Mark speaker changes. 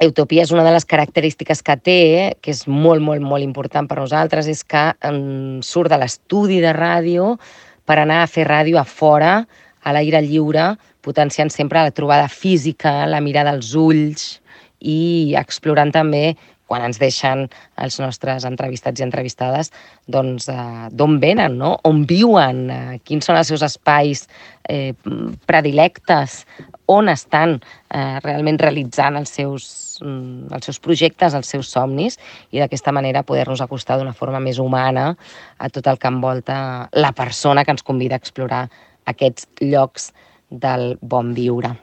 Speaker 1: Utopia és una de les característiques que té, que és molt, molt, molt important per nosaltres, és que surt de l'estudi de ràdio per anar a fer ràdio a fora, a l'aire lliure, potenciant sempre la trobada física, la mirada als ulls i explorant també, quan ens deixen els nostres entrevistats i entrevistades, doncs d'on venen, no? On viuen, quins són els seus espais predilectes, on estan realment realitzant els seus projectes, els seus somnis, i d'aquesta manera poder-nos acostar d'una forma més humana a tot el que envolta la persona que ens convida a explorar aquests llocs del bon viure.